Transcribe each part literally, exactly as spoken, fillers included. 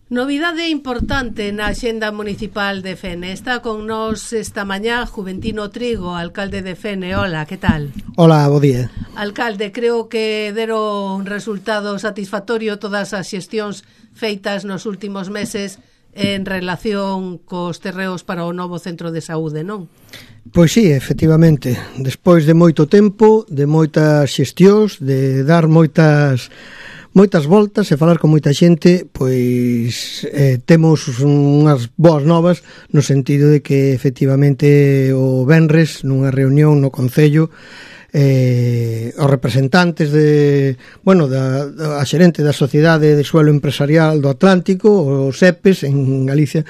Novidade importante na axenda municipal de Fene. Está con nós esta mañá Juventino Trigo, alcalde de Fene. Hola, que tal? Hola, bo día. Alcalde, creo que deron un resultado satisfactorio todas as xestións feitas nos últimos meses en relación cos terreos para o novo centro de saúde, non? Pois sí, efectivamente. Despois de moito tempo, de moitas xestións, de dar moitas... moitas voltas e falar con moita xente, pois eh, temos unhas boas novas no sentido de que efectivamente o venres nunha reunión no Concello eh, os representantes de, bueno, da, da a xerente da Sociedade de Suelo Empresarial do Atlántico, os E P E S en Galicia,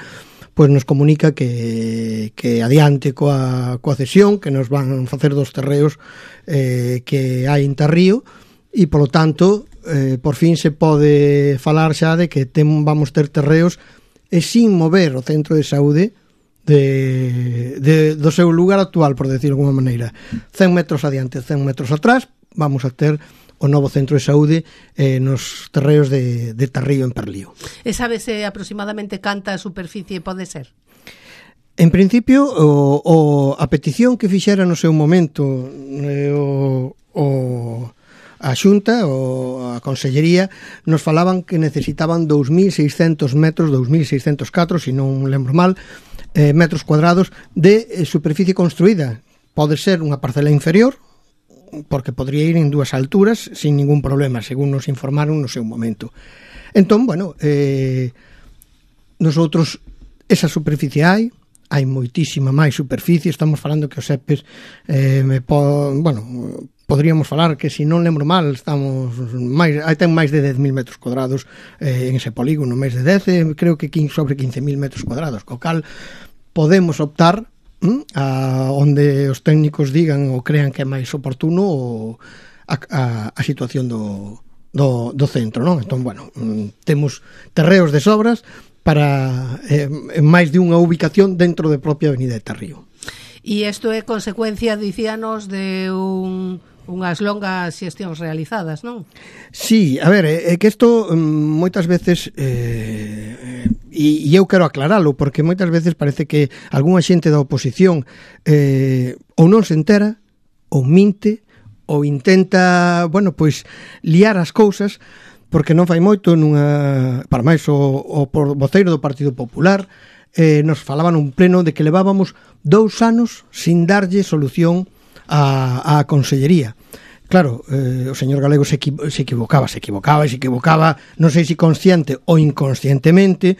pois nos comunica que, que adiante coa, coa cesión que nos van facer dos terreos eh, que hai en Tarrío e polo tanto Eh, por fin se pode falar xa de que tem, vamos ter terreos e sin mover o centro de saúde de, de, do seu lugar actual, por decirlo de alguma maneira. cen metros adiante, cen metros atrás, vamos a ter o novo centro de saúde eh, nos terreos de, de Tarrío en Perlío. E sabese aproximadamente canta superficie pode ser? En principio, o, o, a petición que fixera no seu momento eh, o... o a Xunta ou a Consellería nos falaban que necesitaban dous mil seiscentos metros, dous mil seiscentos e catro, se non lembro mal, eh, metros cuadrados de eh, superficie construída. Pode ser unha parcela inferior, porque podría ir en dúas alturas sin ningún problema, según nos informaron no seu momento. Entón, bueno, eh, nosotros esa superficie hai, hai moitísima máis superficie, estamos falando que os E P E S eh, me po, bueno, podríamos falar que, se non lembro mal, estamos máis, hai ten máis de dez mil metros cuadrados eh, en ese polígono, máis de dez, eh, creo que sobre quince mil metros cuadrados, co cal podemos optar hm, a onde os técnicos digan ou crean que é máis oportuno o, a, a, a situación do, do, do centro, non? Entón, bueno, temos terreos de sobras para eh, máis de unha ubicación dentro da propia avenida de Tarrío. E isto é consecuencia, dicíanos, de un, unhas longas xestións realizadas, non? Sí, a ver, é que isto moitas veces eh, e, e eu quero aclaralo, porque moitas veces parece que algunha xente da oposición eh, ou non se entera, ou minte, ou intenta, bueno, pois liar as cousas, porque non fai moito nunha, para máis o, o voceiro do Partido Popular eh, nos falaba nun pleno de que levábamos dous anos sin darlle solución á, á Consellería. Claro, eh, o señor Galego se, equi, se equivocaba, se equivocaba e se equivocaba, non sei se consciente ou inconscientemente,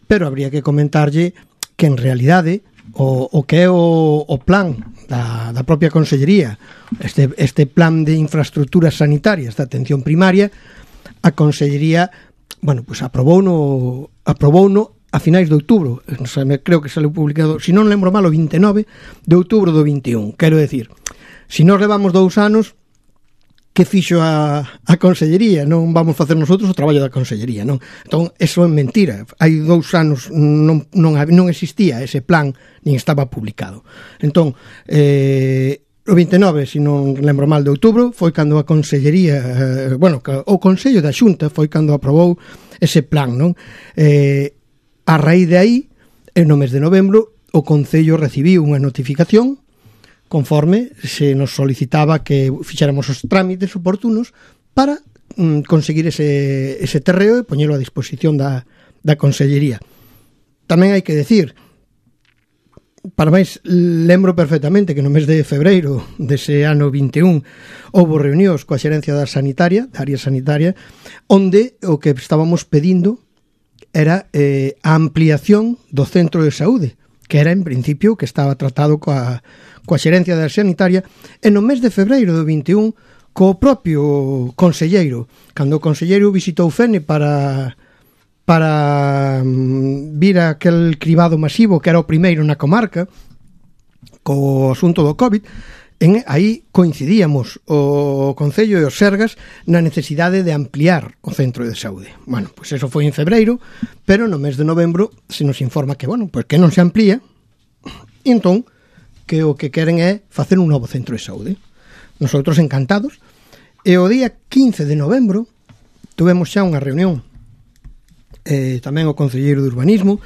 pero habría que comentarlle que en realidade o, o que é o, o plan da, da propia Consellería, este, este plan de infraestructuras sanitarias da atención primaria, a Consellería, bueno, pues aprobou no, aprobou no a finais de outubro, creo que saliu publicado, se non lembro mal, o vinte e nove de outubro do vinte e un. Quero decir, se nós levamos dous anos, que fixo a, a Consellería? Non vamos facer nosotros o traballo da Consellería, non? Entón, eso é mentira. Hai dous anos non, non, non existía ese plan, nin estaba publicado. Entón, eh, o vinte e nove, se non lembro mal, de outubro, foi cando a Consellería, eh, bueno, o Consello da Xunta foi cando aprobou ese plan, non? Eh, a raíz de aí, no mes de novembro, o Concello recibiu unha notificación conforme se nos solicitaba que fixéramos os trámites oportunos para mm, conseguir ese, ese terreo e poñelo a disposición da, da Consellería. Tamén hai que decir, para máis, lembro perfectamente que no mes de febreiro dese ano vinte e un houbo reunións coa xerencia da sanitaria, da área sanitaria, onde o que estábamos pedindo era eh, a ampliación do centro de saúde, que era en principio que estaba tratado coa, coa xerencia da sanitaria, e no mes de febreiro do vinte e un co propio conselleiro, cando o conselleiro visitou Fene para para um, vir a aquel cribado masivo que era o primeiro na comarca co asunto do COVID, en, aí coincidíamos o Concello e os Sergas na necesidade de ampliar o centro de saúde. Bueno, pois pues eso foi en febreiro, pero no mes de novembro se nos informa que, bueno, pois pues que non se amplía, e entón que o que queren é facer un novo centro de saúde. Nosotros encantados, e o día quince de novembro tuvemos xa unha reunión eh, tamén o concelleiro de Urbanismo,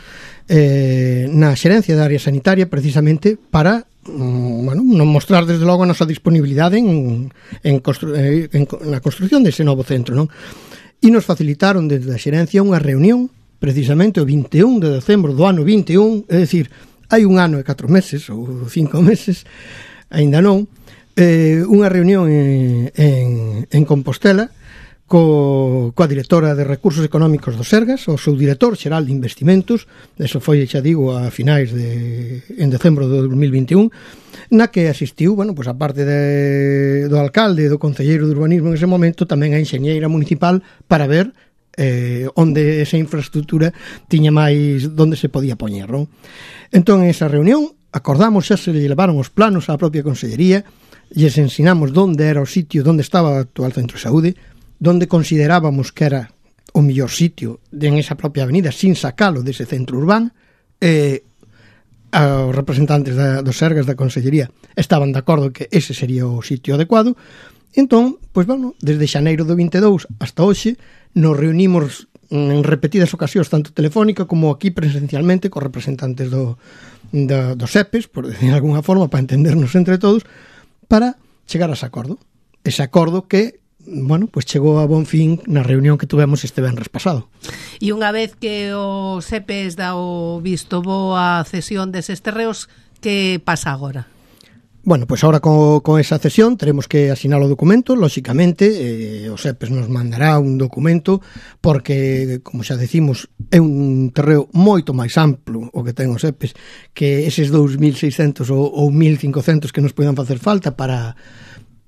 eh, na xerencia da área sanitaria, precisamente para mm, bueno, non mostrar desde logo a nosa disponibilidade en, en, constru, en, en na construción dese novo centro, non? E nos facilitaron desde a xerencia unha reunión precisamente o vinte e un de decembro do ano vinte e un, é dicir, hai un ano e catro meses ou cinco meses, aínda non, eh, unha reunión en, en, en Compostela co, coa directora de Recursos Económicos do Sergas, o seu director xeral de Investimentos, eso foi, xa digo, a finais de en decembro do dos mil vinte e un, na que asistiu, bueno, pois a parte de, do alcalde e do concelleiro de Urbanismo en ese momento, tamén a enxeñeira municipal para ver eh, onde esa infraestructura tiña máis, onde se podía poñer, non? Entón, en esa reunión, acordamos, xa se levaron os planos á propia consellería, e les ensinamos onde era o sitio, onde estaba o actual centro de saúde, donde considerábamos que era o mellor sitio en esa propia avenida, sin sacalo dese centro urbano. eh, os representantes da, dos Sergas da Consellería estaban de acordo que ese sería o sitio adecuado. Entón, pois, bueno, desde xaneiro do vinte e dous hasta hoxe nos reunimos en repetidas ocasións, tanto telefónica como aquí presencialmente, cos representantes do, do, dos E P E S, por decir de alguna forma, para entendernos entre todos, para chegar a ese acordo. Ese acordo que, bueno, pues chegou a bon fin na reunión que tuvemos este venres pasado. E unha vez que o S E P E S dá o visto bo a cesión deses terreos, que pasa agora? Bueno, pues ahora con, con esa cesión teremos que asinar o documento, lóxicamente, eh, o S E P E S nos mandará un documento porque, como xa decimos, é un terreo moito máis amplo o que ten o S E P E S que eses dous mil seiscentos ou, ou mil cincocentos que nos poden facer falta para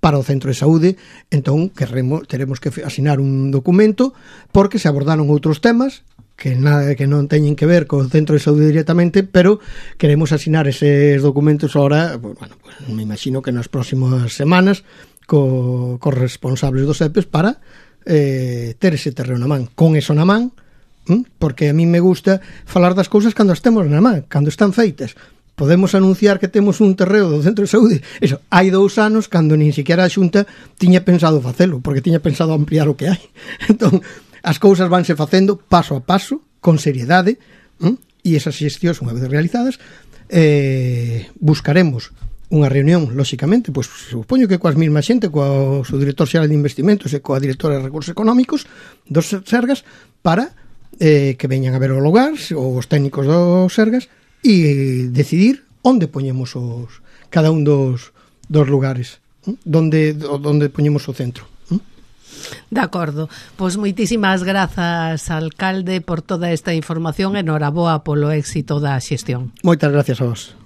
para o centro de saúde. Entón queremos, teremos que asinar un documento porque se abordaron outros temas que nada que non teñen que ver co centro de saúde directamente, pero queremos asinar eses documentos ahora, pues, bueno, pues me imagino que nas próximas semanas co, cos responsables do S E P E S para eh, ter ese terreno na man. Con eso na man, ¿m? Porque a mí me gusta falar das cousas cando estemos na man, cando están feitas. Podemos anunciar que temos un terreo do centro de saúde. Eso, hai dous anos cando nin siquiera a Xunta tiña pensado facelo, porque tiña pensado ampliar o que hai. Entón, as cousas vanse facendo paso a paso, con seriedade, ¿m? E esas xestións, unha vez realizadas, eh, buscaremos unha reunión, lóxicamente, pois supoño que coas mesmas xente, coa o director xeral de Investimentos e coa directora de Recursos Económicos dos Sergas, para eh, que veñan a ver o lugar, os técnicos dos Sergas, e decidir onde poñemos os cada un dos, dos lugares, ¿eh? Donde, donde poñemos o centro. ¿eh? De acordo, pois moitísimas grazas, alcalde, por toda esta información e noraboa polo éxito da xestión. Moitas gracias a vos.